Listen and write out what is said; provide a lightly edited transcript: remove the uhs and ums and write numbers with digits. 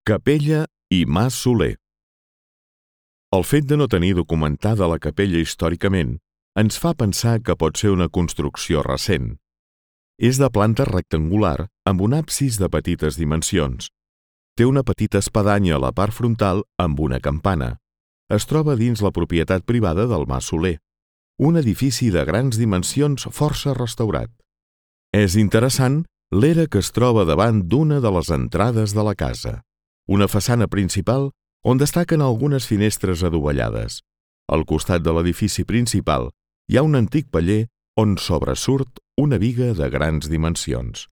Capella i Mas Soler. El fet de no tenir documentada la capella històricament ens fa pensar que pot ser una construcció recent. És de planta rectangular amb un absis de petites dimensions. Té una petita espadanya a la part frontal amb una campana. Es troba dins la propietat privada del Mas Soler, un edifici de grans dimensions força restaurat. És interessant l'era que es troba davant d'una de les entrades de la casa, una façana principal on destaquen algunes finestres adovellades. Al costat de l'edifici principal hi ha un antic paller on sobresurt una biga de grans dimensions.